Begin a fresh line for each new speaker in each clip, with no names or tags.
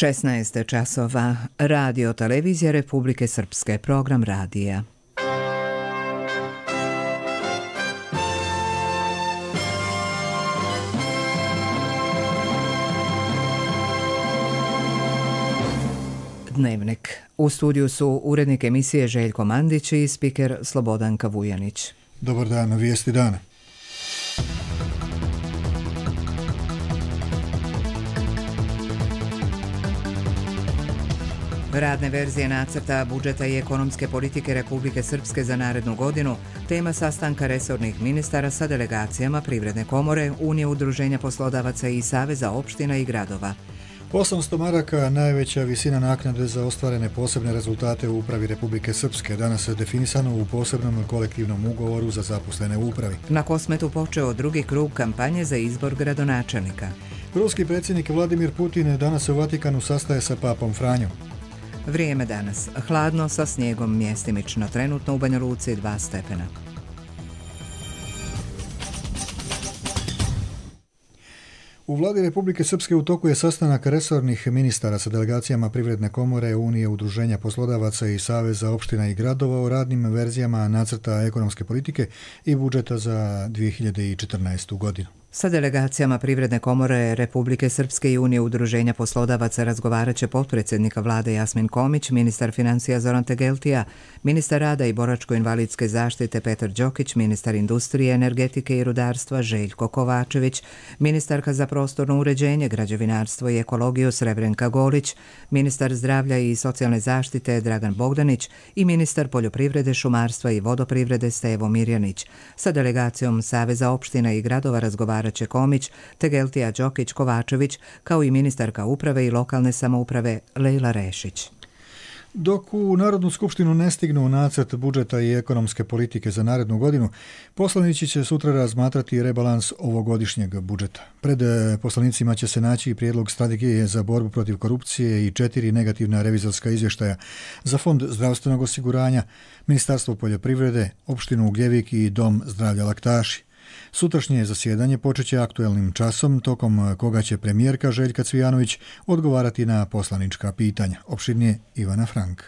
16 časova. Radio Televizija Republike Srpske. Program radija. Dnevnik. U studiju su urednik emisije Željko Mandić i spiker Slobodanka Vujanić.
Dobar dan, vijesti dana.
Radne verzije nacrta budžeta i ekonomske politike Republike Srpske za narednu godinu, tema sastanka resornih ministara sa delegacijama Privredne komore, Unije udruženja poslodavaca i Saveza opština i gradova.
800 maraka najveća visina naknade za ostvarene posebne rezultate u upravi Republike Srpske, danas je definisano u posebnom kolektivnom ugovoru za zaposlene u upravi.
Na Kosmetu počeo drugi krug kampanje za izbor gradonačelnika.
Ruski predsjednik Vladimir Putin danas u Vatikanu sastaje sa papom Franjom.
Vrijeme danas. Hladno sa snijegom mjestimično. Trenutno u Banja Luci 2 stepena.
U vladi Republike Srpske u toku je sastanak resornih ministara sa delegacijama Privredne komore, Unije udruženja poslodavaca i Saveza opština i gradova o radnim verzijama nacrta ekonomske politike i budžeta za 2014. godinu.
Sa delegacijama Privredne komore Republike Srpske i Unije udruženja poslodavaca razgovarat će potpredsjednika vlade Jasmin Komić, ministar financija Zoran Tegeltija, ministar rada i boračko-invalidske zaštite Petar Đokić, ministar industrije, energetike i rudarstva Željko Kovačević, ministarka za prostorno uređenje, građevinarstvo i ekologiju Srebrenka Golić, ministar zdravlja i socijalne zaštite Dragan Bogdanić i ministar poljoprivrede, šumarstva i vodoprivrede Stevo Mirjanić. Sa delegacijom Saveza opština i gradova razgovarat će Komić, Tegeltija, Đokić, Kovačević, kao i ministarka uprave i lokalne samouprave Lejla Rešić.
Dok u Narodnu skupštinu ne stignu nacrt budžeta i ekonomske politike za narednu godinu, poslanici će sutra razmatrati rebalans ovogodišnjeg budžeta. Pred poslanicima će se naći i prijedlog strategije za borbu protiv korupcije i 4 negativna revizorska izvještaja za Fond zdravstvenog osiguranja, Ministarstvo poljoprivrede, opštinu Ugljevik i Dom zdravlja Laktaši. Sutrašnje zasjedanje počeće aktuelnim časom, tokom koga će premijerka Željka Cvijanović odgovarati na poslanička pitanja. Opširnije Ivana Frank.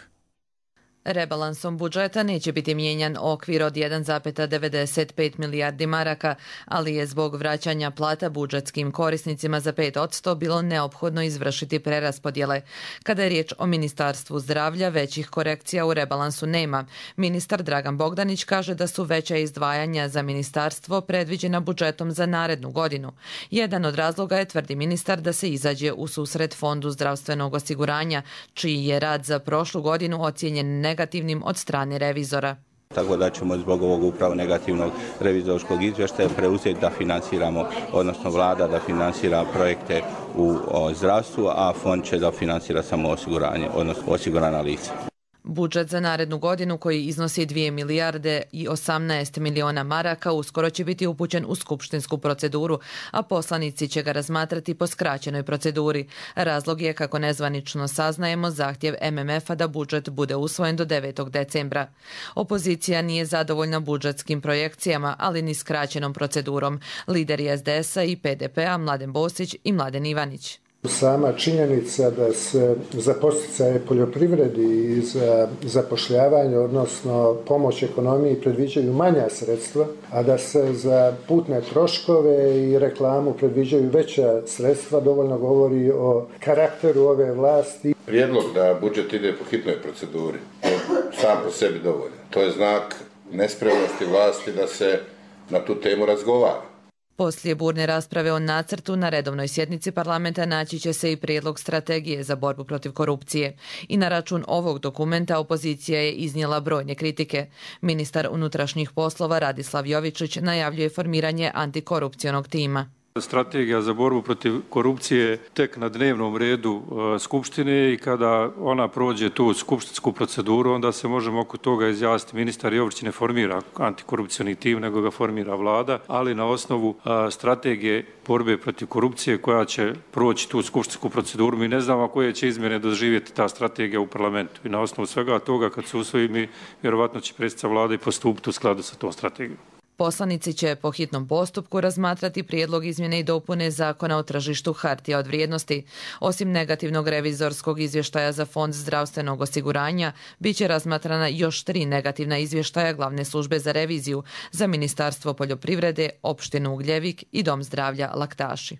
Rebalansom budžeta neće biti mijenjan okvir od 1,95 milijardi maraka, ali je zbog vraćanja plata budžetskim korisnicima za 5% bilo neophodno izvršiti preraspodjele. Kada je riječ o Ministarstvu zdravlja, većih korekcija u rebalansu nema. Ministar Dragan Bogdanić kaže da su veća izdvajanja za ministarstvo predviđena budžetom za narednu godinu. Jedan od razloga je, tvrdi ministar, da se izađe u susret Fondu zdravstvenog osiguranja, čiji je rad za prošlu godinu ocijenjen negativnim od strane revizora.
Tako da ćemo zbog ovog upravo negativnog revizorskog izvještaja preuzeti da financiramo, odnosno vlada da financira projekte u zdravstvu, a fond će da financira samo osiguranje, odnosno osigurana lica.
Budžet za narednu godinu, koji iznosi 2 milijarde i 18 miliona maraka, uskoro će biti upućen u skupštinsku proceduru, a poslanici će ga razmatrati po skraćenoj proceduri. Razlog je, kako nezvanično saznajemo, zahtjev MMF-a da budžet bude usvojen do 9. decembra. Opozicija nije zadovoljna budžetskim projekcijama, ali ni skraćenom procedurom. Lideri SDS-a i PDP-a Mladen Bosić i Mladen Ivanić.
Sama činjenica da se za podsticaje poljoprivredi i za zapošljavanje, odnosno pomoć ekonomiji, predviđaju manja sredstva, a da se za putne troškove i reklamu predviđaju veća sredstva, dovoljno govori o karakteru ove vlasti.
Prijedlog da budžet ide po hitnoj proceduri, sam po sebi dovoljno. To je znak nespremnosti vlasti da se na tu temu razgovara.
Poslije burne rasprave o nacrtu na redovnoj sjednici parlamenta naći će se i prijedlog strategije za borbu protiv korupcije. I na račun ovog dokumenta opozicija je iznijela brojne kritike. Ministar unutrašnjih poslova Radislav Jovičić najavljuje formiranje antikorupcionog tima.
Strategija za borbu protiv korupcije tek na dnevnom redu Skupštine i kada ona prođe tu skupštinsku proceduru, onda se možemo oko toga izjasniti. Ministar Jovičić ne formira antikorupcioni tim, nego ga formira vlada, ali na osnovu strategije borbe protiv korupcije koja će proći tu skupštinsku proceduru. Mi ne znamo koje će izmjene doživjeti ta strategija u parlamentu. I na osnovu svega toga, kad se usvoji, mi vjerovatno će predsjednica vlade i postupiti u skladu sa tom strategijom.
Poslanici će po hitnom postupku razmatrati prijedlog izmjene i dopune Zakona o tržištu hartija od vrijednosti. Osim negativnog revizorskog izvještaja za Fond zdravstvenog osiguranja, bit će razmatrana još 3 negativna izvještaja Glavne službe za reviziju za Ministarstvo poljoprivrede, opštinu Ugljevik i Dom zdravlja Laktaši.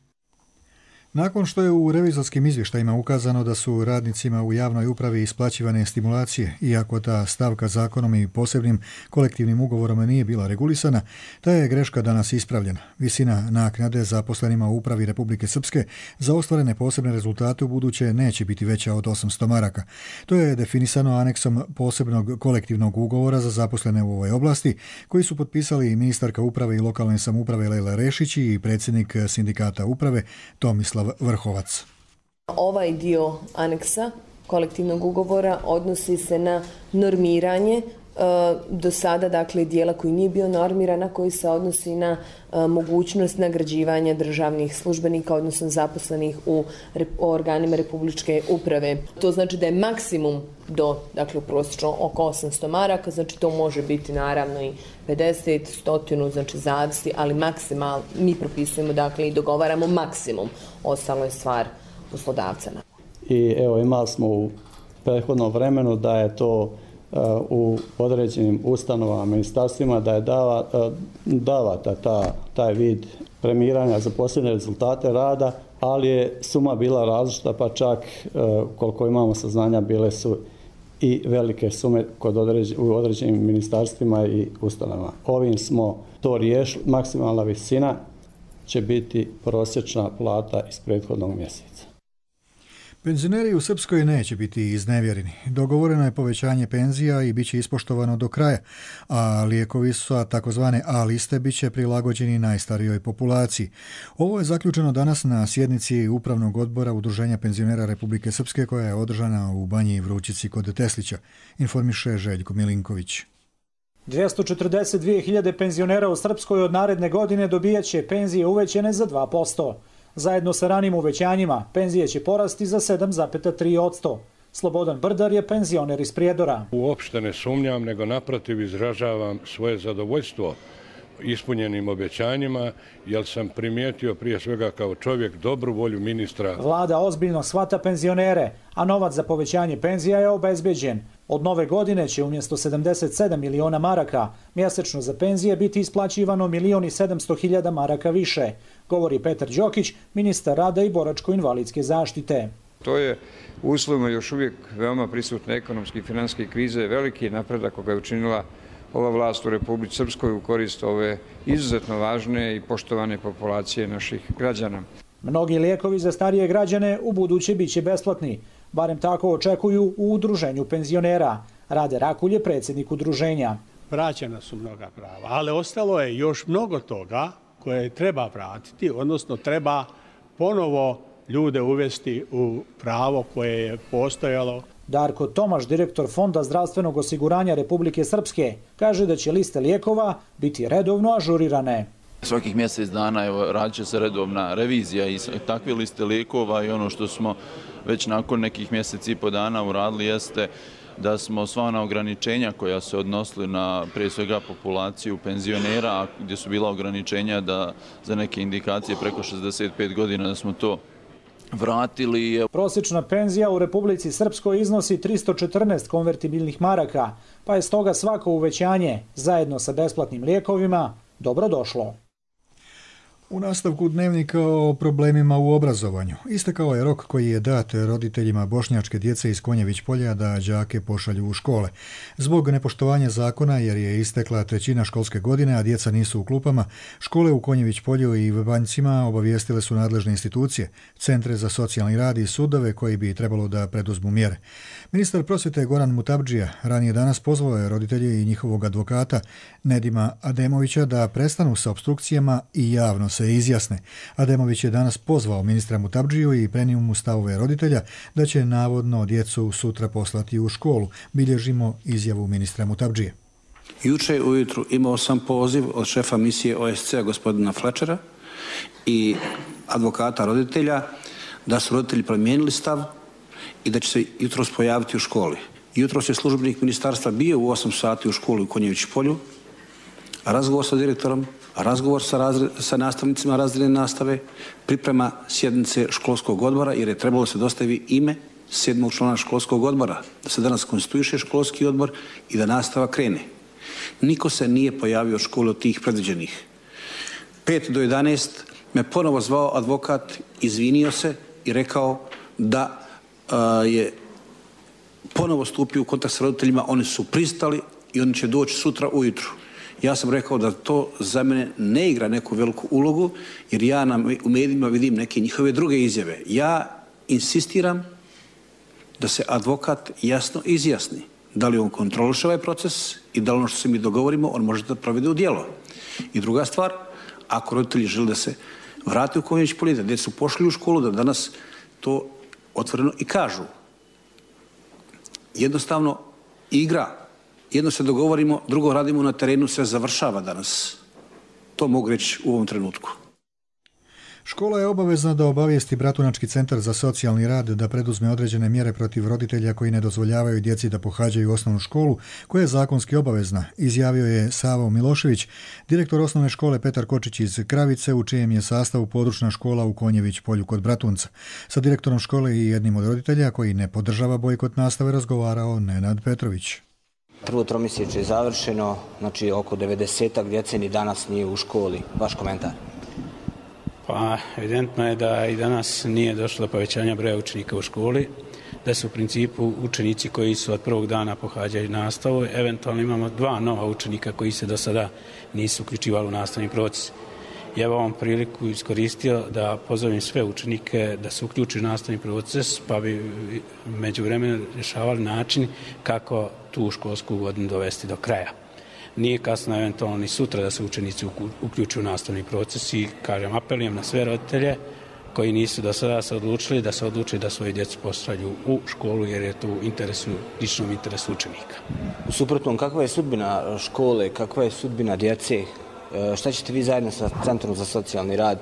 Nakon što je u revizorskim izvještajima ukazano da su radnicima u javnoj upravi isplaćivane stimulacije, iako ta stavka zakonom i posebnim kolektivnim ugovorom nije bila regulisana, ta je greška danas ispravljena. Visina naknade zaposlenima u upravi Republike Srpske za ostvarene posebne rezultate u buduće neće biti veća od 800 maraka. To je definisano aneksom posebnog kolektivnog ugovora za zaposlene u ovoj oblasti, koji su potpisali ministarka uprave i lokalne samouprave Lejla Rešić i predsjednik sindikata uprave Tomislav Vrhovac.
Ovaj dio aneksa kolektivnog ugovora odnosi se na normiranje do sada, dakle, dijela koji nije bio normiran, a koji se odnosi na mogućnost nagrađivanja državnih službenika, odnosno zaposlenih u organima republičke uprave. To znači da je maksimum do, dakle, prosječno oko 800 maraka, znači to može biti naravno i 50, 100, znači zavisi, ali maksimal mi propisujemo, dakle, i dogovaramo maksimum. Ostalo je stvar poslodavca.
I evo, imali smo u prethodnom vremenu da je to u određenim ustanovama, ministarstvima, da je davata taj vid premiranja za posljednje rezultate rada, ali je suma bila različita, pa čak koliko imamo saznanja bile su i velike sume u određenim ministarstvima i ustanovama. Ovim smo to riješili, maksimalna visina će biti prosječna plata iz prethodnog mjeseca.
Penzioneri u Srpskoj neće biti iznevjereni. Dogovoreno je povećanje penzija i bit će ispoštovano do kraja, a lijekovi sa takozvane A liste bit će prilagođeni najstarijoj populaciji. Ovo je zaključeno danas na sjednici Upravnog odbora Udruženja penzionera Republike Srpske koja je održana u Banji Vrućici kod Teslića, informiše Željko Milinković.
242.000 penzionera u Srpskoj od naredne godine dobijaće penzije uvećene za 2%. Zajedno sa ranim uvećanjima, penzije će porasti za 7,3%. Slobodan Brdar je penzioner iz Prijedora.
Uopšte ne sumnjam, nego naprotiv izražavam svoje zadovoljstvo ispunjenim obećanjima, jer sam primijetio prije svega kao čovjek dobru volju ministra.
Vlada ozbiljno shvata penzionere, a novac za povećanje penzija je obezbeđen. Od nove godine će umjesto 77 miliona maraka mjesečno za penzije biti isplaćivano 1.700.000 maraka više, govori Petar Đokić, ministar rada i boračko-invalidske zaštite.
To je uslovno još uvijek veoma prisutne ekonomske i finansijske krize, veliki napredak koga je učinila ova vlast u Republici Srpskoj u korist ove izuzetno važne i poštovane populacije naših građana.
Mnogi lijekovi za starije građane u buduće biće besplatni, barem tako očekuju u Udruženju penzionera. Rade Rakulj je predsjednik udruženja.
Vraćena su mnoga prava, ali ostalo je još mnogo toga koje treba vratiti, odnosno treba ponovo ljude uvesti u pravo koje je postojalo.
Darko Tomaš, direktor Fonda zdravstvenog osiguranja Republike Srpske, kaže da će liste lijekova biti redovno ažurirane.
Svakih mjesec dana radit će se redovna revizija i takve liste lijekova i ono što smo već nakon nekih mjeseci i po dana uradili jeste da smo sva ona ograničenja koja se odnosili na prije svega populaciju penzionera, gdje su bila ograničenja da za neke indikacije preko 65 godina da smo to vratili.
Prosječna penzija u Republici Srpskoj iznosi 314 konvertibilnih maraka, pa je stoga svako uvećanje zajedno sa besplatnim lijekovima dobrodošlo.
U nastavku dnevnika o problemima u obrazovanju. Istekao je rok koji je dat roditeljima bošnjačke djece iz Konjević polja da đake pošalju u škole. Zbog nepoštovanja zakona, jer je istekla trećina školske godine, a djeca nisu u klupama, škole u Konjević polju i Banjcima obavijestile su nadležne institucije, centre za socijalni rad i sudove koji bi trebalo da preduzmu mjere. Ministar prosvjete Goran Mutabdžija ranije danas pozvao je roditelje i njihovog advokata Nedima Ademovića da prestanu sa opstrukcijama i javno se izjasne. Ademović je danas pozvao ministra Mutabdžiju i prenio mu stavove roditelja da će navodno djecu sutra poslati u školu. Bilježimo izjavu ministra Mutabdžije.
Juče ujutru imao sam poziv od šefa misije OSCE gospodina Fletchera i advokata roditelja da su roditelji promijenili stav i da će se jutros pojaviti u školi. Jutros je službenik ministarstva bio u 8 sati u školi u Konjević polju, razgovor sa direktorom, razgovor sa nastavnicima razredne nastave, priprema sjednice školskog odbora jer je trebalo se dostaviti ime 7. člana školskog odbora, da se danas konstituiše školski odbor i da nastava krene. Niko se nije pojavio od škole od tih predviđenih. 5 do 11 me ponovo zvao advokat, izvinio se i rekao da je ponovo stupio u kontakt s roditeljima, oni su pristali i oni će doći sutra ujutru. Ja sam rekao da to za mene ne igra neku veliku ulogu, jer ja u medijima vidim neke njihove druge izjave. Ja insistiram da se advokat jasno izjasni da li on kontroliše ovaj proces i da li ono što se mi dogovorimo on može da provede u djelo. I druga stvar, ako roditelji žele da se vrate u Konjić Polje, da djeca su pošli u školu, da danas to otvoreno i kažu. Jednostavno igra, jedno se dogovorimo, drugo radimo na terenu, sve završava danas. To mogu reći u ovom trenutku.
Škola je obavezna da obavijesti Bratunački centar za socijalni rad da preduzme određene mjere protiv roditelja koji ne dozvoljavaju djeci da pohađaju osnovnu školu, koja je zakonski obavezna, izjavio je Savo Milošević, direktor osnovne škole Petar Kočić iz Kravice, u čijem je sastavu područna škola u Konjević Polju kod Bratunca. Sa direktorom škole i jednim od roditelja koji ne podržava bojkot nastave razgovarao Nenad Petrović.
Prvo tromjesečje je završeno, znači oko 90-ak djece ni danas nije u školi. Vaš komentar?
Pa evidentno je da i danas nije došlo do povećanja broja učenika u školi, da su u principu učenici koji su od prvog dana pohađali nastavu, eventualno imamo 2 nova učenika koji se do sada nisu uključivali u nastavni proces. Ja ovom priliku iskoristio da pozovem sve učenike da se uključi u nastavni proces, pa bi međuvremeno rješavali način kako tu školsku godinu dovesti do kraja. Nije kasno eventualno ni sutra da se učenici uključuju u nastavni proces i, kažem, apelujem na sve roditelje koji nisu do sada se odlučili da se odluče da svoje djecu pošalju u školu jer je to u ličnom interesu učenika.
U suprotnom, kakva je sudbina škole, kakva je sudbina djece? Šta ćete vi zajedno sa Centrom za socijalni rad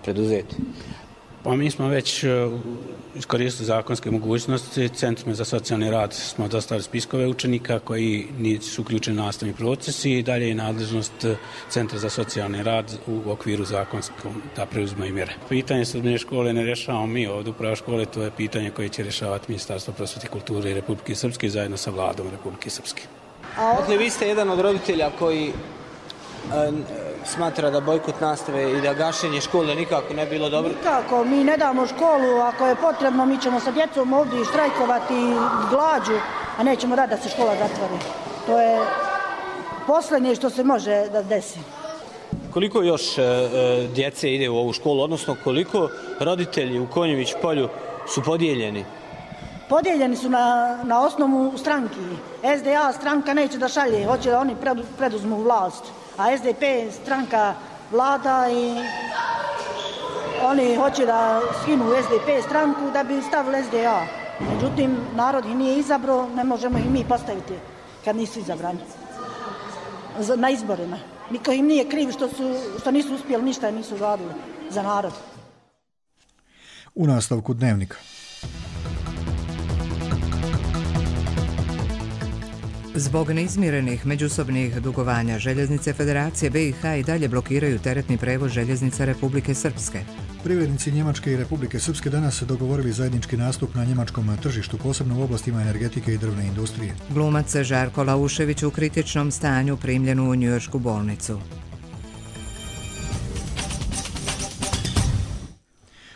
preduzeti?
Pa mi smo već iskoristili zakonske mogućnosti. Centrima za socijalni rad smo dostavili spiskove učenika koji nisu uključeni u nastavni proces i dalje je nadležnost Centra za socijalni rad u okviru zakonskog da preuzimaju mjere. Pitanje sudbine škole ne rješavamo mi ovdje upravo škole, to je pitanje koje će rješavati Ministarstvo prosvjete i kulture Republike Srpske zajedno sa vladom Republike Srpske.
Dakle, vi ste jedan od roditelja koji smatra da bojkot nastave i da gašenje škole nikako ne bilo dobro?
Nikako, mi ne damo školu, ako je potrebno mi ćemo sa djecom ovdje štrajkovati glađu, a nećemo dati da se škola zatvori. To je posljednje što se može da desi.
Koliko još djece ide u ovu školu, odnosno koliko roditelji u Konjević Polju su podijeljeni?
Podijeljeni su na osnovu stranki. SDA stranka neće da šalje, hoće da oni preduzmu vlast. A SDP stranka vlada i oni hoće da skinu SDP stranku da bi stavili SDA. Međutim, narod ih nije izabrao, ne možemo ih mi postaviti kad nisu izabrani na izborima. Niko im nije kriv što nisu uspjeli ništa, nisu radili za narod.
U nastavku Dnevnika.
Zbog neizmirenih međusobnih dugovanja željeznice Federacije BiH i dalje blokiraju teretni prevoz željeznica Republike Srpske.
Privrednici Njemačke i Republike Srpske danas dogovorili zajednički nastup na njemačkom tržištu, posebno u oblastima energetike i drvne industrije.
Glumac Žarko Laušević u kritičnom stanju primljen u njujoršku bolnicu.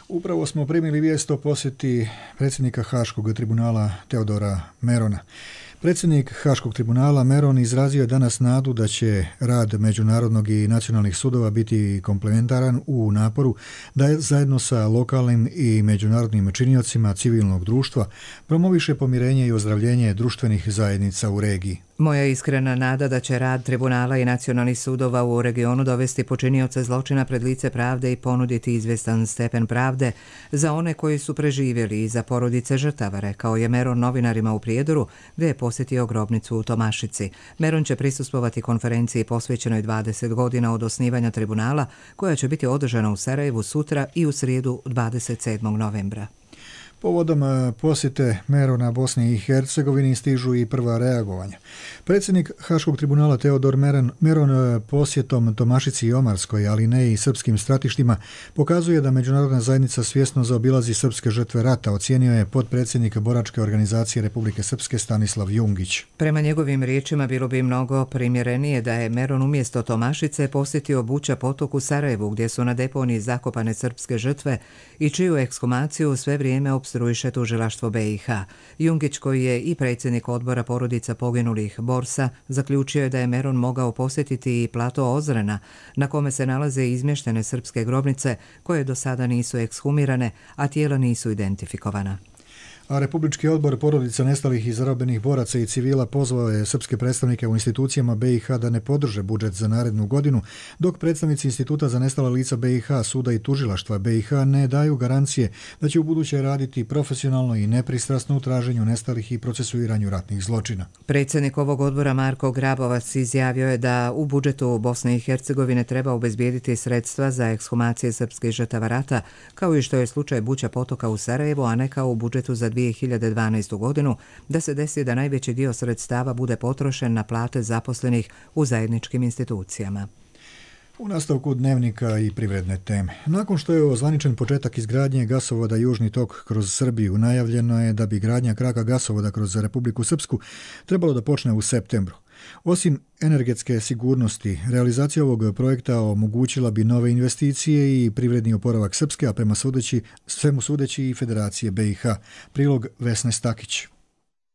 Upravo smo primili vijest o posjeti predsjednika Haškog tribunala Teodora Merona. Predsjednik Haškog tribunala Meron izrazio je danas nadu da će rad međunarodnog i nacionalnih sudova biti komplementaran u naporu da zajedno sa lokalnim i međunarodnim činiocima civilnog društva promoviše pomirenje i ozdravljenje društvenih zajednica u regiji.
Moja iskrena nada da će rad tribunala i nacionalnih sudova u regionu dovesti počinioce zločina pred lice pravde i ponuditi izvjestan stepen pravde za one koji su preživjeli i za porodice žrtava, rekao je Meron novinarima u Prijedoru, gdje je posjetio grobnicu u Tomašici. Meron će prisustvovati konferenciji posvećenoj 20 godina od osnivanja tribunala, koja će biti održana u Sarajevu sutra i u srijedu 27. novembra.
Povodom posjete Merona Bosni i Hercegovini stižu i prva reagovanja. Predsjednik Haškog tribunala Teodor Meron posjetom Tomašici i Omarskoj, ali ne i srpskim stratištima, pokazuje da međunarodna zajednica svjesno zaobilazi srpske žrtve rata, ocijenio je potpredsjednik Boračke organizacije Republike Srpske Stanislav Jungić.
Prema njegovim riječima bilo bi mnogo primjerenije da je Meron umjesto Tomašice posjetio Buča potok u Sarajevu, gdje su na deponiji zakopane srpske žrtve i čiju ekshumaciju sve vrijeme opstruiše tužilaštvo BiH. Jungić, koji je i predsjednik odbora porodica poginulih borsa, zaključio je da je Meron mogao posjetiti i plato Ozrena, na kome se nalaze izmještene srpske grobnice koje do sada nisu ekshumirane, a tijela nisu identifikovana.
A Republički odbor porodica nestalih i zarobljenih boraca i civila pozvao je srpske predstavnike u institucijama BiH da ne podrže budžet za narednu godinu, dok predstavnici Instituta za nestala lica BiH, suda i tužilaštva BiH ne daju garancije da će u buduće raditi profesionalno i nepristrasno u traženju nestalih i procesuiranju ratnih zločina.
Predsjednik ovog odbora Marko Grabovac izjavio je da u budžetu Bosne i Hercegovine treba obezbijediti sredstva za ekshumacije srpskih žrtava rata, kao i što je slučaj Buča potoka u Sarajevu, a ne kao u budžetu za 2012. godinu, da se desi da najveći dio sredstava bude potrošen na plate zaposlenih u zajedničkim institucijama.
U nastavku dnevnika i privredne teme. Nakon što je ozvaničen početak izgradnje gasovoda Južni tok kroz Srbiju, najavljeno je da bi gradnja kraka gasovoda kroz Republiku Srpsku trebalo da počne u septembru. Osim energetske sigurnosti, realizacija ovog projekta omogućila bi nove investicije i privredni oporavak Srpske, a prema svemu sudeći i Federacije BiH. Prilog Vesne Stakić.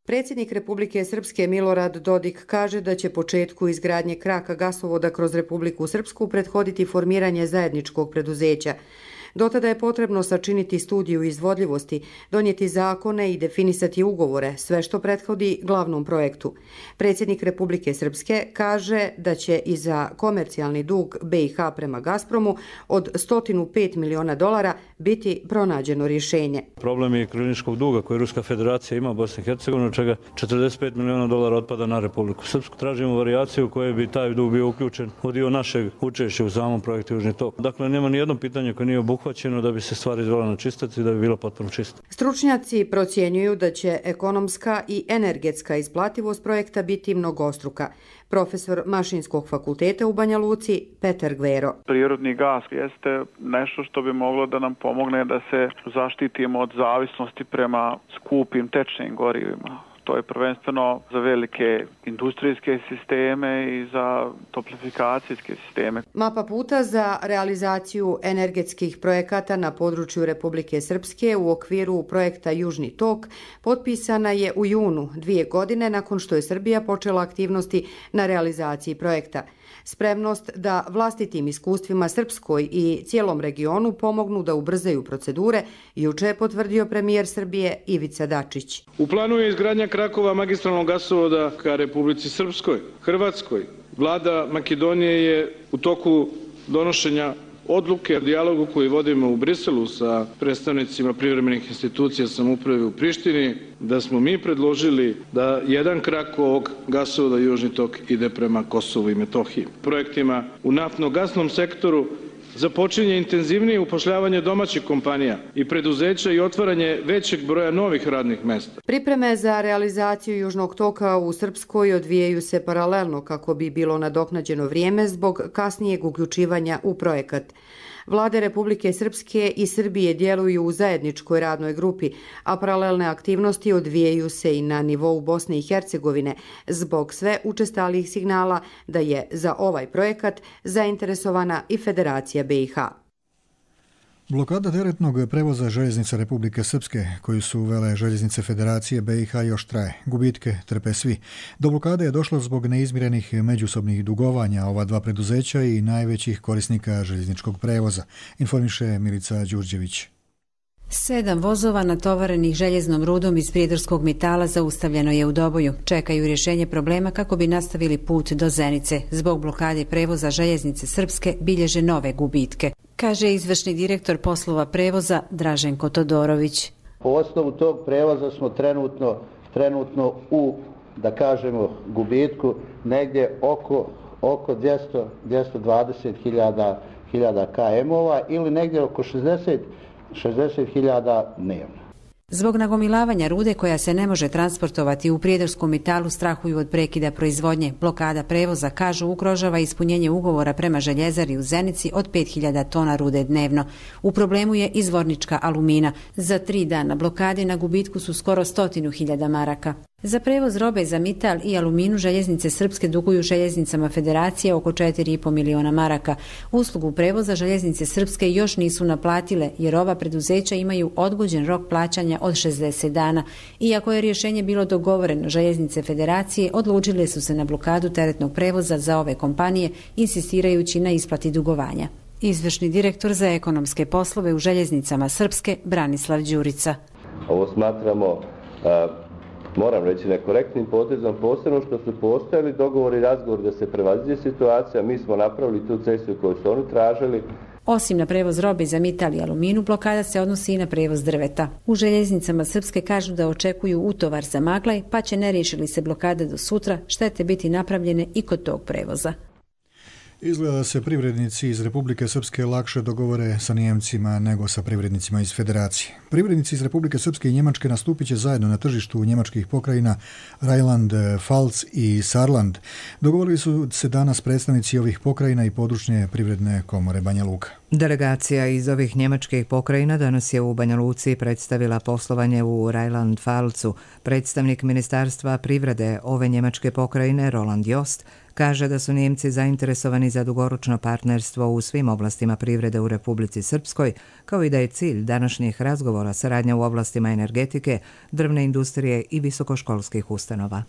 Predsjednik Republike Srpske Milorad Dodik kaže da će početku izgradnje kraka gasovoda kroz Republiku Srpsku prethoditi formiranje zajedničkog preduzeća. Do tada je potrebno sačiniti studiju izvodljivosti, donijeti zakone i definisati ugovore, sve što prethodi glavnom projektu. Predsjednik Republike Srpske kaže da će i za komercijalni dug BiH prema Gazpromu od $105 miliona biti pronađeno rješenje.
Problem je kliničkog duga koji Ruska federacija ima u Bosni i Hercegovini, od čega $45 miliona otpada na Republiku Srpsku. Tražimo varijaciju u kojoj bi taj dug bio uključen u dio našeg učešća u samom projektu Južni tok. Dakle, nema ni jedno pitanje koje nije obuhvaćeno da bi se stvari izvela na čistac i da bi bilo potpuno čisto.
Stručnjaci procjenjuju da će ekonomska i energetska isplativost projekta biti mnogostruka. Profesor Mašinskog fakulteta u Banja Luci Petar Gvero.
Prirodni gas jeste nešto što bi moglo da nam pomogne da se zaštitimo od zavisnosti prema skupim tečnim gorivima. To je prvenstveno za velike industrijske sisteme i za toplifikacijske sisteme.
Mapa puta za realizaciju energetskih projekata na području Republike Srpske u okviru projekta Južni tok potpisana je u junu 2 godine nakon što je Srbija počela aktivnosti na realizaciji projekta. Spremnost da vlastitim iskustvima Srpskoj i cijelom regionu pomognu da ubrzaju procedure, juče je potvrdio premijer Srbije Ivica Dačić.
U planu je izgradnja krakova magistralnog gasovoda ka Republici Srpskoj, Hrvatskoj. Vlada Makedonije je u toku donošenja odluke o dijalogu koji vodimo u Briselu sa predstavnicima privremenih institucija samouprave u Prištini, da smo mi predložili da jedan krak ovog gasovoda Južni tok ide prema Kosovu i Metohiji. Projektima u naftno-gasnom sektoru započinje intenzivnije upošljavanje domaćih kompanija i preduzeća i otvaranje većeg broja novih radnih mjesta.
Pripreme za realizaciju Južnog toka u Srpskoj odvijaju se paralelno kako bi bilo nadoknađeno vrijeme zbog kasnijeg uključivanja u projekat. Vlade Republike Srpske i Srbije djeluju u zajedničkoj radnoj grupi, a paralelne aktivnosti odvijaju se i na nivou Bosne i Hercegovine zbog sve učestalih signala da je za ovaj projekat zainteresovana i Federacija BiH.
Blokada teretnog prevoza željeznica Republike Srpske, koju su uvele željeznice Federacije BiH, još traje. Gubitke trpe svi. Do blokade je došlo zbog neizmirenih međusobnih dugovanja ova dva preduzeća i najvećih korisnika željezničkog prevoza, informiše Milica Đurđević.
7 vozova natovarenih željeznom rudom iz prijedorskog metala zaustavljeno je u Doboju. Čekaju rješenje problema kako bi nastavili put do Zenice. Zbog blokade prevoza željeznice Srpske bilježe nove gubitke, kaže izvršni direktor poslova prevoza Draženko Todorović.
Po osnovu tog prevoza smo trenutno u, da kažemo, gubitku negdje oko 220.000 km-ova ili negdje oko 60.000 dnevno.
Zbog nagomilavanja rude koja se ne može transportovati u Prijedorskom Metalu strahuju od prekida proizvodnje. Blokada prevoza, kažu, ugrožava ispunjenje ugovora prema željezari u Zenici od 5000 tona rude dnevno. U problemu je izvornička Alumina. Za 3 dana blokade na gubitku su skoro 100.000 maraka. Za prevoz robe za Mital i Aluminu željeznice srpske duguju željeznicama Federacije oko 4,5 miliona maraka. Uslugu prevoza željeznice srpske još nisu naplatile jer ova preduzeća imaju odgođen rok plaćanja od 60 dana. Iako je rješenje bilo dogovoreno, željeznice Federacije odlučile su se na blokadu teretnog prevoza za ove kompanije, insistirajući na isplati dugovanja. Izvršni direktor za ekonomske poslove u željeznicama srpske Branislav Đurica.
Ovo smatramo, moram reći, nekorektnim potezom, posebno što su postojali dogovori i razgovor da se prevaziđe situacija. Mi smo napravili tu cestu koju su oni tražili.
Osim na prevoz robe za Mital i Aluminu, blokada se odnosi i na prevoz drveta. U željeznicama srpske kažu da očekuju utovar za Maglaj, pa će, ne riješi li se blokada do sutra, štete biti napravljene i kod tog prevoza.
Izgleda da se privrednici iz Republike Srpske lakše dogovore sa Nijemcima nego sa privrednicima iz Federacije. Privrednici iz Republike Srpske i Njemačke nastupit će zajedno na tržištu njemačkih pokrajina Rheinland-Pfalz i Saarland. Dogovorili su se danas predstavnici ovih pokrajina i područne privredne komore Banja Luka.
Delegacija iz ovih njemačkih pokrajina danas je u Banja Luci predstavila poslovanje u Rheinland-Pfalzu. Predstavnik Ministarstva privrede ove njemačke pokrajine, Roland Jost, kaže da su Nijemci zainteresovani za dugoročno partnerstvo u svim oblastima privrede u Republici Srpskoj, kao i da je cilj današnjih razgovora saradnja u oblastima energetike, drvne industrije i visokoškolskih ustanova.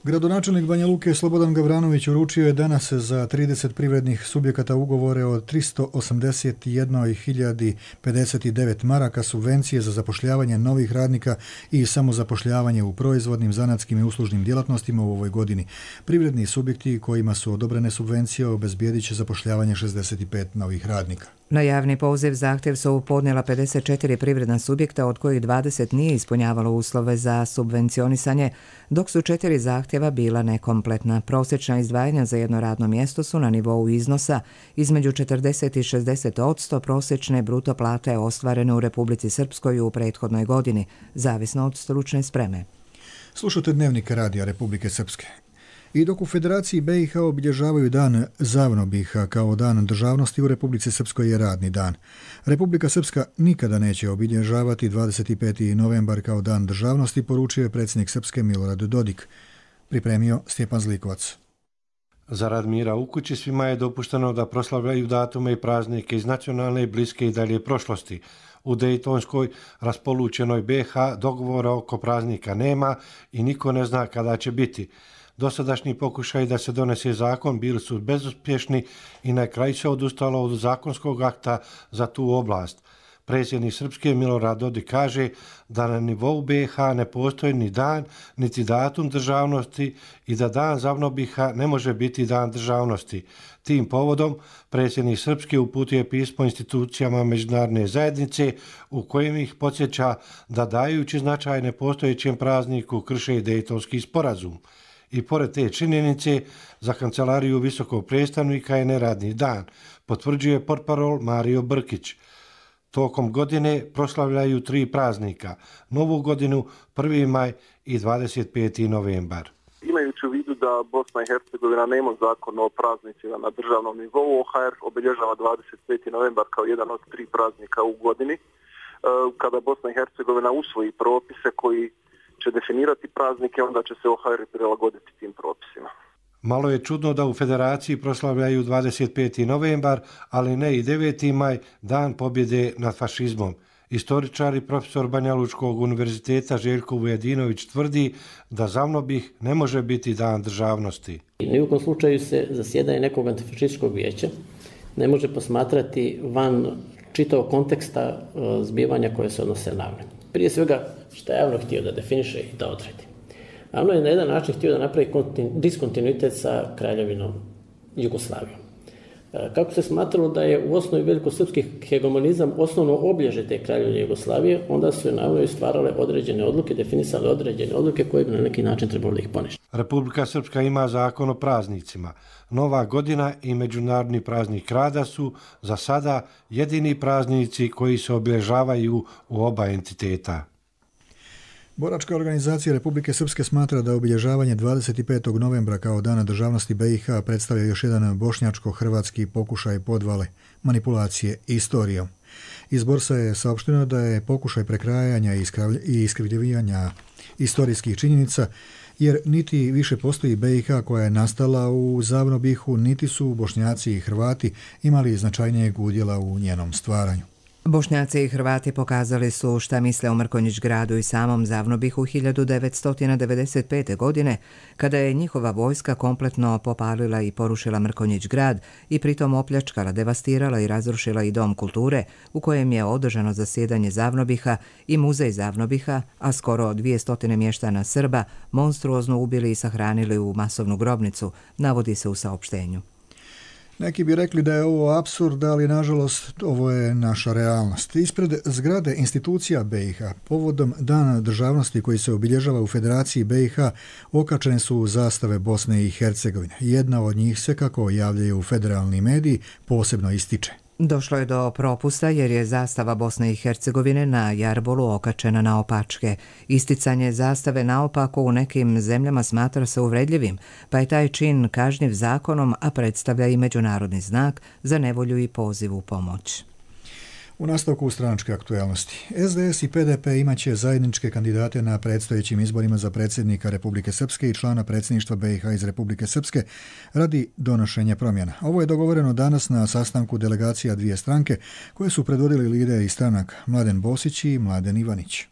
Gradonačelnik Banja Luke Slobodan Gavranović uručio je danas za 30 privrednih subjekata ugovore od 381.059 maraka subvencije za zapošljavanje novih radnika i samozapošljavanje u proizvodnim, zanatskim i uslužnim djelatnostima u ovoj godini. Privredni subjekti kojima su odobrene subvencije obezbijedit će zapošljavanje 65 novih radnika.
Na javni poziv zahtjev su podnijela 54 privredna subjekta, od kojih 20 nije ispunjavalo uslove za subvencionisanje, dok su 4 zahtjeva bila nekompletna. Prosječna izdvajanja za jedno radno mjesto su na nivou iznosa između 40 i 60% prosječne bruto plate ostvarene u Republici Srpskoj u prethodnoj godini, zavisno od stručne spreme.
Slušate Dnevnik radija Republike Srpske. I dok u Federaciji BiH obilježavaju dan Zavnobiha kao dan državnosti, u Republici Srpskoj je radni dan. Republika Srpska nikada neće obilježavati 25. novembar kao dan državnosti, poručio je predsjednik Srpske Milorad Dodik. Pripremio Stjepan Zlikovac.
Zarad mira u kući svima je dopušteno da proslavljaju datume i praznike iz nacionalne, bliske i dalje prošlosti. U Dejtonskoj raspolućenoj BiH dogovora oko praznika nema i niko ne zna kada će biti. Dosadašnji pokušaj da se donese zakon bili su bezuspješni i na kraju se odustalo od zakonskog akta za tu oblast. Predsjednik Srpske Milorad Dodik kaže da na nivou BiH ne postoji ni dan, niti datum državnosti i da dan Zavnobiha ne može biti dan državnosti. Tim povodom predsjednik Srpske uputio pismo institucijama međunarodne zajednice u kojem ih podsjeća da dajući značaj nepostojećem prazniku krše Dejtonski sporazum. I pored te činjenice, za kancelariju visokog predstavnika je neradni dan, potvrđuje portparol Mario Brkić. Tokom godine proslavljaju 3 praznika, Novu godinu, 1. maj i 25. novembar.
Imajući u vidu da Bosna i Hercegovina nema zakon o praznicima na državnom nivou, OHR obilježava 25. novembar kao jedan od 3 praznika u godini. Kada Bosna i Hercegovina usvoji propise koji će definirati praznike, onda će se OHR prilagoditi tim propisima.
Malo je čudno da u Federaciji proslavljaju 25. novembar, ali ne i 9. maj, dan pobjede nad fašizmom. Istoričar i profesor Banja Lučkog univerziteta Željko Vujadinović tvrdi da Zavnobih ne može biti dan državnosti.
Ni u kom slučaju se zasjedanje nekog antifašističkog vijeća ne može posmatrati van čitavog konteksta zbivanja koje se odnose na AVNO. Prije svega što je AVNO htio da definiše i da odredi. AVNO je na jedan način htio da napravi diskontinuitet sa kraljevinom Jugoslavijom. Kako se smatralo da je u osnovi velikosrpski hegemonizam osnovno obilježje te kraljevine Jugoslavije, onda su na AVNO stvarale određene odluke, definisale određene odluke koje bi na neki način trebalo da ih poništi.
Republika Srpska ima zakon o praznicima. Nova godina i Međunarodni praznik rada su za sada jedini praznici koji se obilježavaju u oba entiteta.
Boračka organizacija Republike Srpske smatra da obilježavanje 25. novembra kao Dana državnosti BiH predstavlja još jedan bošnjačko-hrvatski pokušaj podvale, manipulacije istorijom. Iz Borsa je saopšteno da je pokušaj prekrajanja i iskrivljivanja istorijskih činjenica, jer niti više postoji BiH koja je nastala u Zavnobihu, niti su Bošnjaci i Hrvati imali značajnijeg udjela u njenom stvaranju.
Bošnjaci i Hrvati pokazali su šta misle o Mrkonjić gradu i samom Zavnobihu 1995. godine, kada je njihova vojska kompletno popalila i porušila Mrkonjić grad i pritom opljačkala, devastirala i razrušila i dom kulture u kojem je održano zasjedanje Zavnobiha i muzej Zavnobiha, a skoro 200 mještana Srba monstruozno ubili i sahranili u masovnu grobnicu, navodi se u saopštenju.
Neki bi rekli da je ovo apsurd, ali nažalost ovo je naša realnost. Ispred zgrade institucija BiH, povodom Dana državnosti koji se obilježava u Federaciji BiH, okačene su zastave Bosne i Hercegovine. Jedna od njih se, kako javljaju federalni mediji, posebno ističe.
Došlo je do propusta jer je zastava Bosne i Hercegovine na jarbolu okačena naopačke. Isticanje zastave naopako u nekim zemljama smatra se uvredljivim, pa je taj čin kažnjiv zakonom, a predstavlja i međunarodni znak za nevolju i poziv u pomoć.
U nastavku stranačke aktualnosti. SDS i PDP imaće zajedničke kandidate na predstojećim izborima za predsjednika Republike Srpske i člana predsjedništva BiH iz Republike Srpske radi donošenja promjena. Ovo je dogovoreno danas na sastanku delegacija dvije stranke koje su predvodili lideri stranaka Mladen Bosić i Mladen Ivanić.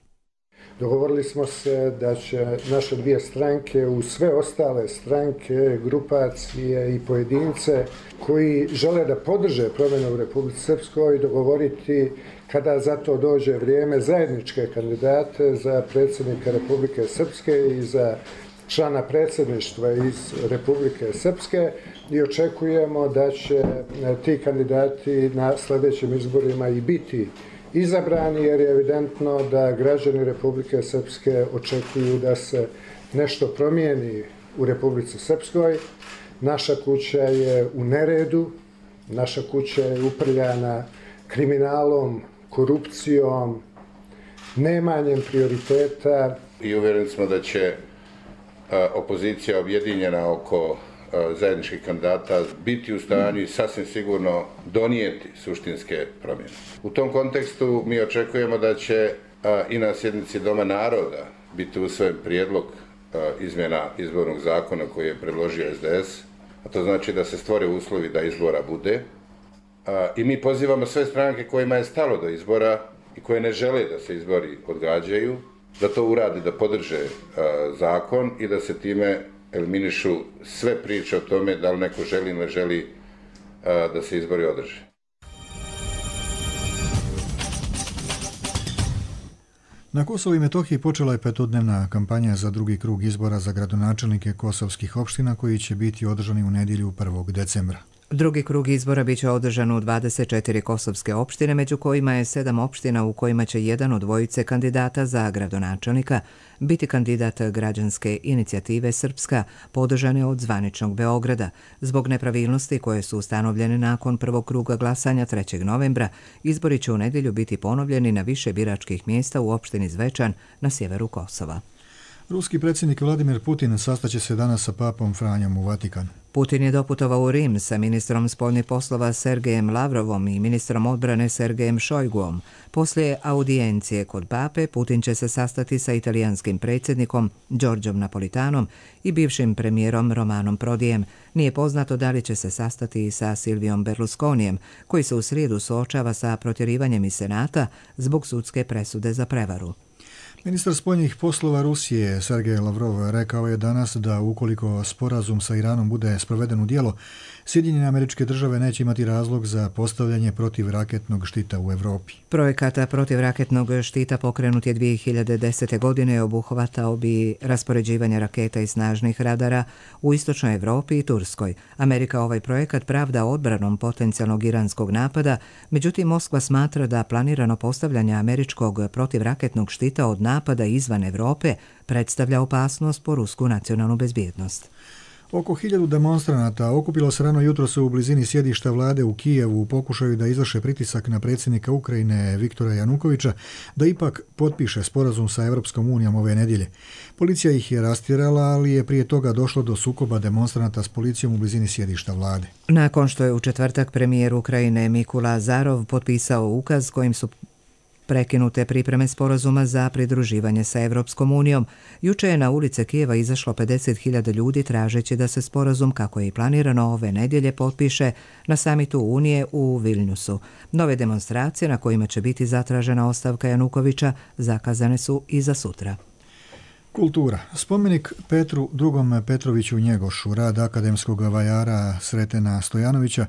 Dogovorili smo se da će naše dvije stranke uz sve ostale stranke, grupacije i pojedince koji žele da podrže promjene u Republici Srpskoj dogovoriti kada za to dođe vrijeme zajedničke kandidate za predsjednika Republike Srpske i za člana predsjedništva iz Republike Srpske i očekujemo da će ti kandidati na sljedećim izborima i biti izabrani, jer je evidentno da građani Republike Srpske očekuju da se nešto promijeni u Republici Srpskoj. Naša kuća je u neredu, naša kuća je uprljana kriminalom, korupcijom, nemanjem prioriteta.
I uvjereni smo da će opozicija objedinjena oko zajedničkih kandidata biti u stanju i sasvim sigurno donijeti suštinske promjene. U tom kontekstu mi očekujemo da će i na sjednici Doma naroda biti usvojen prijedlog izmjena izbornog zakona koji je predložio SDS, a to znači da se stvore uslovi da izbora bude. I mi pozivamo sve stranke kojima je stalo do izbora i koje ne žele da se izbori odgađaju, da to uradi, da podrže zakon i da se time eliminišu sve priče o tome da li neko želi ili ne želi da se izbori održe.
Na Kosovu i Metohiji počela je petodnevna kampanja za drugi krug izbora za gradonačelnike kosovskih opština koji će biti održani u nedjelju 1. decembra.
Drugi krug izbora biće održan u 24 kosovske opštine, među kojima je 7 opština u kojima će jedan od dvojice kandidata za gradonačelnika biti kandidat građanske inicijative Srpska, podržane od zvaničnog Beograda. Zbog nepravilnosti koje su ustanovljene nakon prvog kruga glasanja 3. novembra, izbori će u nedjelju biti ponovljeni na više biračkih mjesta u opštini Zvečan na sjeveru Kosova.
Ruski predsjednik Vladimir Putin sastaće se danas sa papom Franjom u Vatikanu.
Putin je doputovao u Rim sa ministrom spoljnih poslova Sergejem Lavrovom i ministrom odbrane Sergejem Šojguom. Poslije audijencije kod pape, Putin će se sastati sa italijanskim predsjednikom Giorgiom Napolitanom i bivšim premijerom Romanom Prodijem. Nije poznato da li će se sastati i sa Silvijom Berlusconijem, koji se u srijedu suočava sa protjerivanjem iz Senata zbog sudske presude za prevaru.
Ministar spoljnih poslova Rusije Sergej Lavrov rekao je danas da ukoliko sporazum sa Iranom bude sproveden u djelo, Sjedinjene Američke Države neće imati razlog za postavljanje protivraketnog štita u Evropi.
Projekat protivraketnog štita pokrenut je 2010. godine i obuhvatao bi raspoređivanje raketa i snažnih radara u istočnoj Evropi i Turskoj. Amerika ovaj projekat pravda odbranom potencijalnog iranskog napada, međutim Moskva smatra da planirano postavljanje američkog protivraketnog štita od napada izvan Evrope predstavlja opasnost po rusku nacionalnu bezbjednost.
Oko 1000 demonstranata okupilo se rano jutros u blizini sjedišta vlade u Kijevu u pokušaju da izvrše pritisak na predsjednika Ukrajine Viktora Janukovića da ipak potpiše sporazum sa Europskom unijom ove nedjelje. Policija ih je rastjerala, ali je prije toga došlo do sukoba demonstranata s policijom u blizini sjedišta vlade.
Nakon što je u četvrtak premijer Ukrajine Mikula Azarov potpisao ukaz kojim su prekinute pripreme sporazuma za pridruživanje sa Europskom unijom, juče je na ulice Kijeva izašlo 50.000 ljudi tražeći da se sporazum, kako je i planirano ove nedjelje, potpiše na samitu Unije u Vilniusu. Nove demonstracije na kojima će biti zatražena ostavka Janukovića zakazane su i za sutra.
Kultura. Spomenik Petru II. Petroviću Njegošu, rad akademskog vajara Sretena Stojanovića,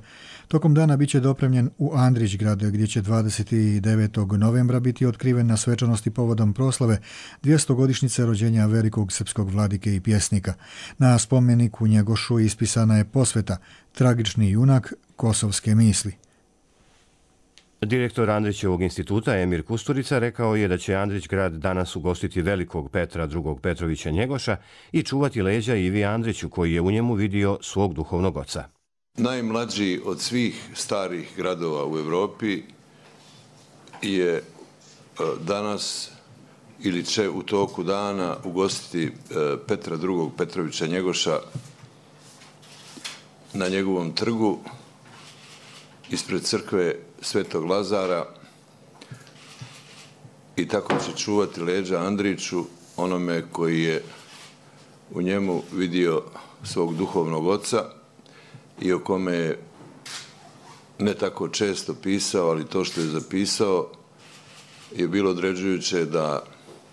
tokom dana bit će dopremljen u Andrićgrad, gdje će 29. novembra biti otkriven na svečanosti povodom proslave 200-godišnjice rođenja velikog srpskog vladike i pjesnika. Na spomeniku Njegošu ispisana je posveta Tragični junak kosovske misli.
Direktor Andrićevog instituta Emir Kusturica rekao je da će Andrićgrad danas ugostiti velikog Petra II. Petrovića Njegoša i čuvati leđa Ivi Andriću, koji je u njemu vidio svog duhovnog oca.
Najmlađi od svih starih gradova u Europi je danas ili će u toku dana ugostiti Petra II. Petrovića Njegoša na njegovom trgu ispred crkve Svetog Lazara i tako će čuvati leđa Andriću, onome koji je u njemu vidio svog duhovnog oca i o kome je ne tako često pisao, ali to što je zapisao je bilo određujuće da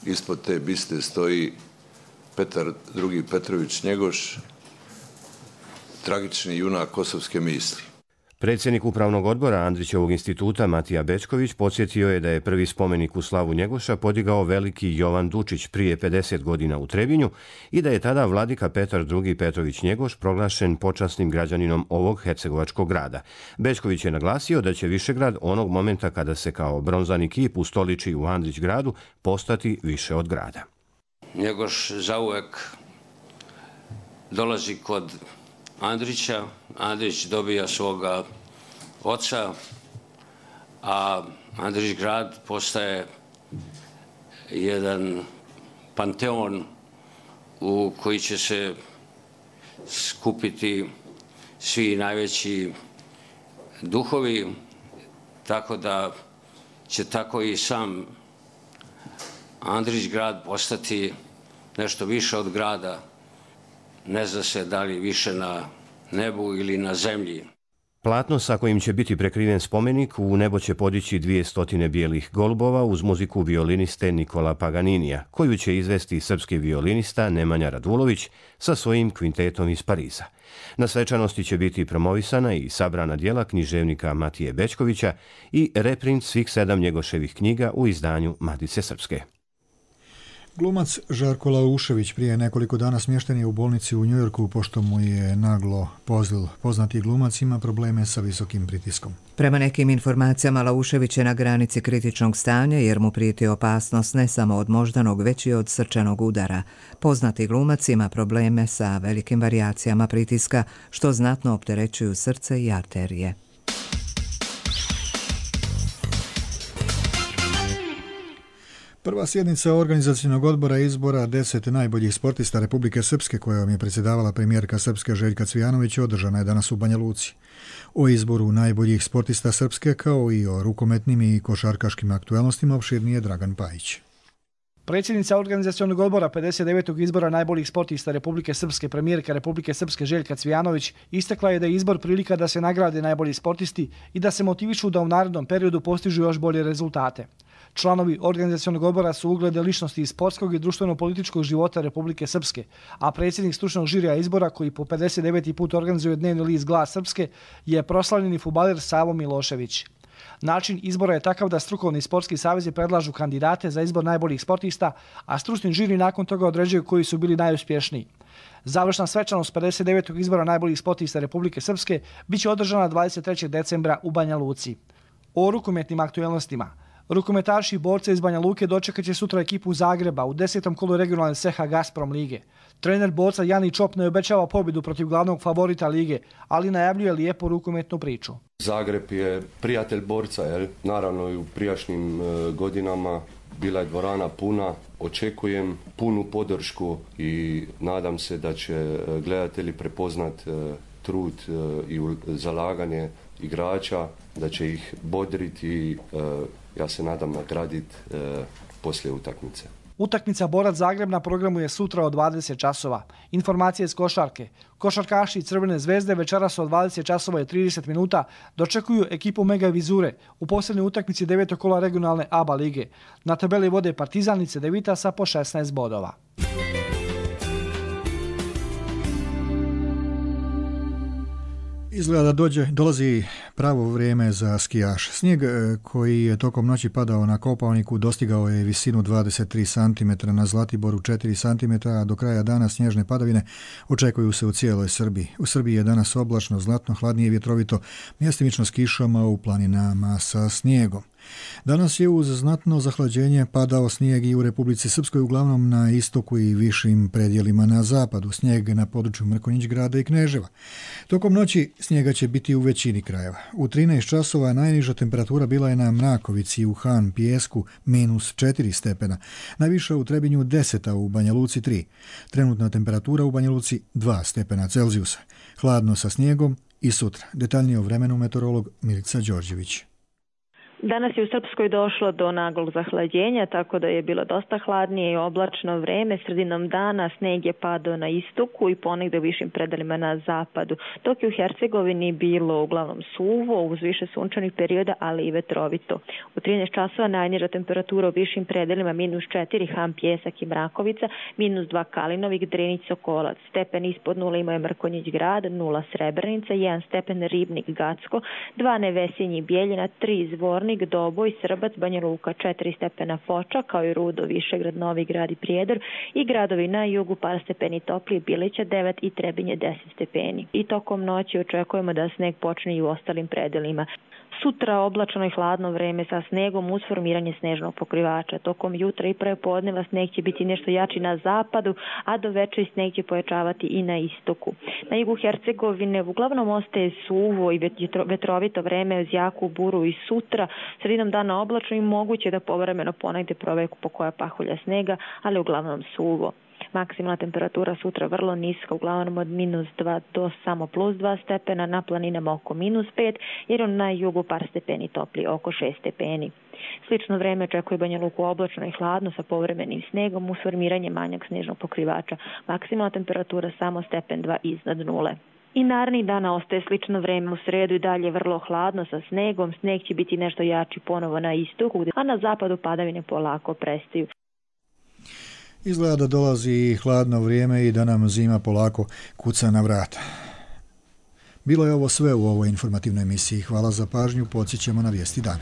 ispod te biste stoji Petar II. Petrović Njegoš, tragični junak kosovske misli.
Predsjednik upravnog odbora Andrićevog instituta Matija Bečković podsjetio je da je prvi spomenik u slavu Njegoša podigao veliki Jovan Dučić prije 50 godina u Trebinju i da je tada vladika Petar II. Petrović Njegoš proglašen počasnim građaninom ovog hercegovačkog grada. Bečković je naglasio da će Višegrad onog momenta kada se kao bronzani kip ustoliči u Andrićgradu postati više od grada.
Njegoš zauvek dolazi kod Andrića, Andrić dobija svoga oca, a Andrićgrad postaje jedan panteon u koji će se skupiti svi najveći duhovi, tako da će tako i sam Andrićgrad postati nešto više od grada. Ne zna se da li više na nebu ili na zemlji.
Platno sa kojim će biti prekriven spomenik u nebo će podići 200 bijelih golubova uz muziku violiniste Nikola Paganinija, koju će izvesti srpski violinista Nemanja Radulović sa svojim kvintetom iz Pariza. Na svečanosti će biti promovisana i sabrana djela književnika Matije Bečkovića i reprint svih 7 Njegoševih knjiga u izdanju Matice Srpske.
Glumac Žarko Laušević prije nekoliko dana smješten je u bolnici u Njujorku pošto mu je naglo pozlil. Poznati glumac ima probleme sa visokim pritiskom.
Prema nekim informacijama Laušević je na granici kritičnog stanja jer mu prijeti opasnost ne samo od moždanog već i od srčanog udara. Poznati glumac ima probleme sa velikim varijacijama pritiska što znatno opterećuju srce i arterije.
Prva sjednica organizacionog odbora izbora 10 najboljih sportista Republike Srpske, kojom je predsjedavala premijerka Srpske Željka Cvijanović, održana je danas u Banja Luci. O izboru najboljih sportista Srpske, kao i o rukometnim i košarkaškim aktualnostima, opširnije Dragan Pajić.
Predsjednica organizacionog odbora 59. izbora najboljih sportista Republike Srpske, premijerka Republike Srpske Željka Cvijanović, istakla je da je izbor prilika da se nagrade najbolji sportisti i da se motivišu da u narednom periodu postižu još bolje rezultate. Članovi organizacionog odbora su uglede ličnosti iz sportskog i društveno-političkog života Republike Srpske, a predsjednik stručnog žirija izbora, koji po 59. put organizuje dnevni list Glas Srpske, je proslavljeni fudbaler Savo Milošević. Način izbora je takav da strukovni sportski savezi predlažu kandidate za izbor najboljih sportista, a stručni žiri nakon toga određuju koji su bili najuspješniji. Završna svečanost 59. izbora najboljih sportista Republike Srpske biće održana 23. decembra u Banja Luci. O rukometnim aktualnostima. Rukometaši i borce iz Banja Luke dočekat će sutra ekipu Zagreba u 10. kolu regionalne CH Gazprom lige. Trener borca Jani Čop ne obećava pobjedu protiv glavnog favorita lige, ali najavljuje lijepu rukometnu priču.
Zagreb je prijatelj borca, naravno i u prijašnjim godinama bila je dvorana puna. Očekujem punu podršku i nadam se da će gledatelji prepoznat trud i zalaganje igrača, da će ih bodriti i ja se nadam nagraditi poslije utakmice.
Utakmica Borac Zagreb na programu je sutra od 20 časova. Informacije iz košarke. Košarkaši Crvene zvezde večeras od 20 časova i 30 minuta dočekuju ekipu Mega Vizure u posljednjoj utakmici 9. kola regionalne ABA lige. Na tabeli vode Partizan i Cedevita sa po 16 bodova.
Izgleda da dolazi pravo vrijeme za skijaš. Snijeg koji je tokom noći padao na Kopaoniku dostigao je visinu 23 cm, na Zlatiboru 4 cm, a do kraja dana snježne padavine očekuju se u cijeloj Srbiji. U Srbiji je danas oblačno, znatno hladnije i vjetrovito, mjestimično s kišama, u planinama sa snijegom. Danas je uz znatno zahlađenje padao snijeg i u Republici Srpskoj, uglavnom na istoku i višim predjelima na zapadu. Snijeg na području Mrkonjić grada i Kneževa. Tokom noći snijega će biti u većini krajeva. U 13 časova najniža temperatura bila je na Mrakovici, u Han Pijesku -4 stepena, najviša u Trebinju 10, a u Banja Luci 3. Trenutna temperatura u Banja Luci 2 stepena Celzijusa. Hladno sa snijegom i sutra. Detaljnije o vremenu meteorolog Milica Đorđević.
Danas je u Srpskoj došlo do naglog zahlađenja, tako da je bilo dosta hladnije i oblačno vreme. Sredinom dana sneg je padao na istoku i ponegde u višim predelima na zapadu. Dok je u Hercegovini bilo uglavnom suvo, uz više sunčanih perioda, ali i vetrovito. U 13 časova najniža temperatura u višim predelima -4 Han Pjesak i Mrakovica, -2 Kalinovik, Drenić, Sokolac. Stepen ispod 0 imao je Mrkonjić grad, 0 Srebrenica, 1 stepen Ribnik, Gacko, 2 Nevesinji, Bjeljina, 3 Zvornik, Doboj, Srbac, Banja Luka, 4 stepena Foča, kao i Rudo, Višegrad, Novi Grad i Prijedor, i gradovi na jugu par stepeni toplije, Bilića 9 i Trebinje 10 stepeni. I tokom noći očekujemo da sneg počne i u ostalim predelima. Sutra oblačno i hladno vreme sa snegom uz formiranje snežnog pokrivača. Tokom jutra i prepodneva sneg će biti nešto jači na zapadu, a do večeri sneg će pojačavati i na istoku. Na jugu Hercegovine uglavnom ostaje suvo i vetrovito vreme uz jaku buru i sutra. Sredinom dana oblačno i moguće da povremeno ponegde proveku po koja pahulja snega, ali uglavnom suvo. Maksimalna temperatura sutra vrlo niska, uglavnom od -2 do samo +2 stepena, na planinama oko -5, jer na jugu par stepeni toplije, oko 6 stepeni. Slično vreme očekuje Banja Luku oblačno i hladno sa povremenim snegom uz formiranje manjeg snežnog pokrivača. Maksimalna temperatura samo stepen 2 iznad nule. I narednih dana ostaje slično vreme, u sredu i dalje vrlo hladno sa snegom. Sneg će biti nešto jači ponovo na istoku, a na zapadu padavine polako prestaju.
Izgleda da dolazi hladno vrijeme i da nam zima polako kuca na vrata. Bilo je ovo sve u ovoj informativnoj emisiji. Hvala za pažnju, podsjećamo na vijesti dana.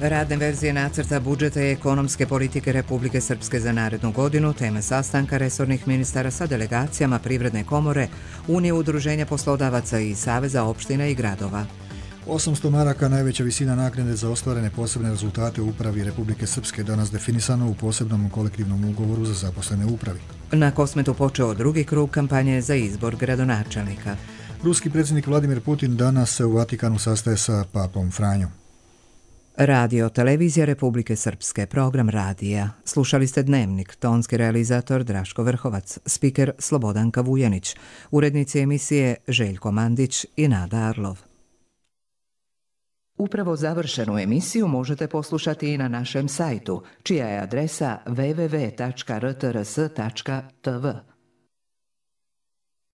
Radne verzije nacrta budžeta i ekonomske politike Republike Srpske za narednu godinu, teme sastanka resornih ministara sa delegacijama Privredne komore, Unije udruženja poslodavaca i Saveza opština i gradova.
800 maraka najveća visina naknade za ostvarene posebne rezultate u upravi Republike Srpske, danas definisano u posebnom kolektivnom ugovoru za zaposlene u upravi.
Na Kosmetu počeo drugi krug kampanje za izbor gradonačelnika.
Ruski predsjednik Vladimir Putin danas se u Vatikanu sastaje sa papom Franjom.
Radio Televizija Republike Srpske, program radija. Slušali ste Dnevnik, tonski realizator Draško Vrhovac, spiker Slobodanka Vujanić, urednici emisije Željko Mandić i Nada Arlov. Upravo završenu emisiju možete poslušati i na našem sajtu, čija je adresa www.rtrs.tv.